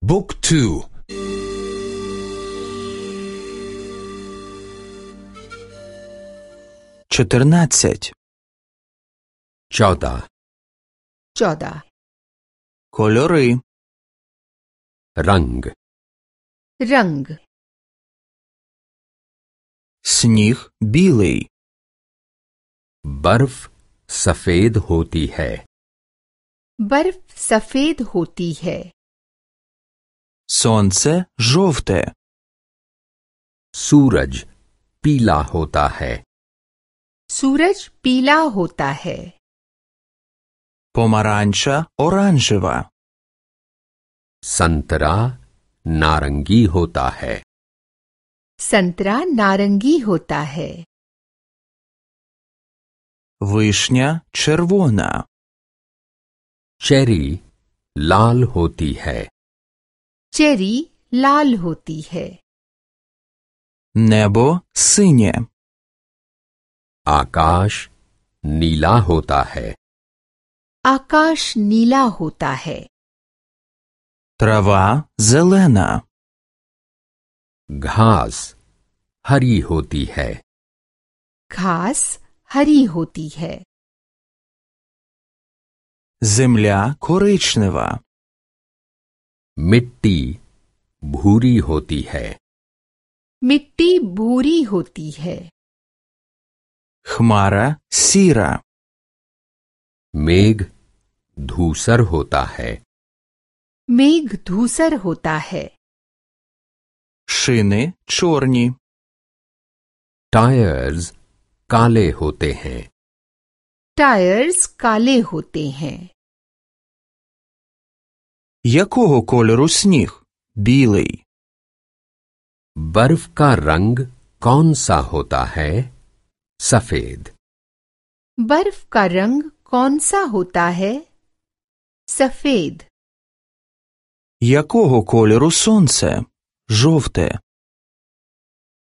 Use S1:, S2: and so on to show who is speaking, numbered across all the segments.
S1: บุ๊กทู14
S2: 14
S1: кольори
S3: रंग
S2: रंग
S1: сніг білий
S3: बर्फ सफेद होती है
S2: बर्फ सफेद होती है
S1: сонце жовте
S3: सूरज पीला होता है
S2: सूरज पीला होता है
S1: помаранча оранжева
S3: संतरा नारंगी होता है
S2: संतरा नारंगी होता है
S1: вишня червона
S3: चेरी लाल होती है
S2: चेरी लाल होती है
S1: небо синє
S3: आकाश नीला होता है
S2: आकाश नीला होता है
S1: трава зелена
S3: घास हरी होती है
S2: घास हरी होती है
S1: земля коричнева
S3: मिट्टी भूरी होती है
S2: मिट्टी भूरी होती है
S1: хмара сіра
S3: मेघ धूसर होता है
S2: मेघ धूसर होता है
S1: шини чорні
S3: टायर्स काले होते हैं
S2: टायर्स काले होते हैं
S1: якого кольору сніг білий
S3: बर्फ का रंग कौन सा होता है सफेद
S2: बर्फ का रंग कौन सा होता है सफेद
S1: якого кольору сонце жовте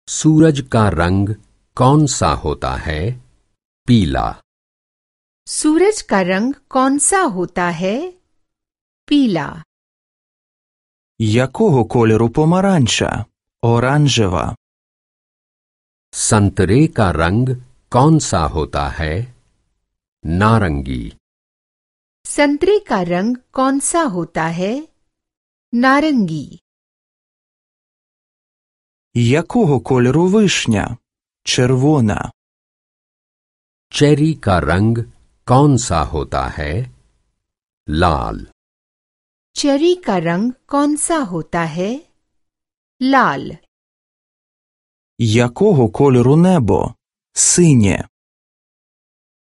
S3: सूरज का रंग कौन सा होता है पीला
S2: सूरज का रंग कौन सा होता है पीला
S1: якого кольору помаранча оранжева
S3: संतरे का रंग कौन सा होता है नारंगी
S2: संतरे का रंग कौन सा होता है नारंगी
S1: якого кольору вишня червона
S3: चेरी का रंग कौन सा होता है लाल
S2: चेरी का रंग कौन सा होता है लाल
S1: якого кольору небо синє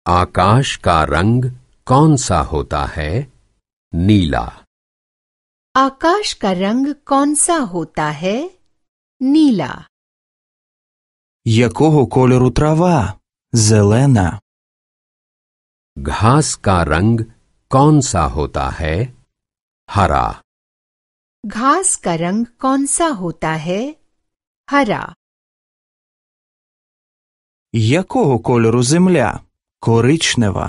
S3: आकाश का रंग कौन सा होता है नीला
S2: आकाश का रंग कौन सा होता है नीला
S1: якого кольору трава зелена
S3: घास का रंग कौन सा होता है हरा
S2: घास का रंग कौन सा होता है हरा
S1: якого кольору земля коричнева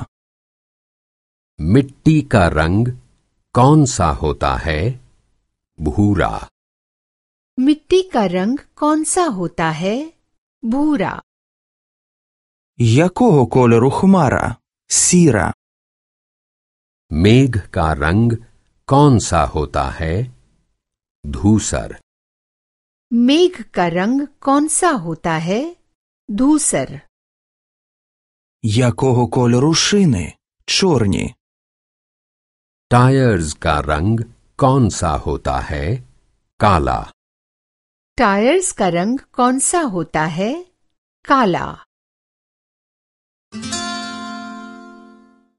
S3: मिट्टी का रंग कौन सा होता है भूरा
S2: मिट्टी का रंग कौन सा होता है भूरा
S1: якого кольору хмара сіра
S3: मेघ का रंग कौन सा होता है धूसर
S2: मेघ का रंग कौन सा होता है धूसर
S1: якого кольору шини чорні
S3: टायर्स का रंग कौन सा होता है काला
S2: टायर्स का रंग कौन सा होता है काला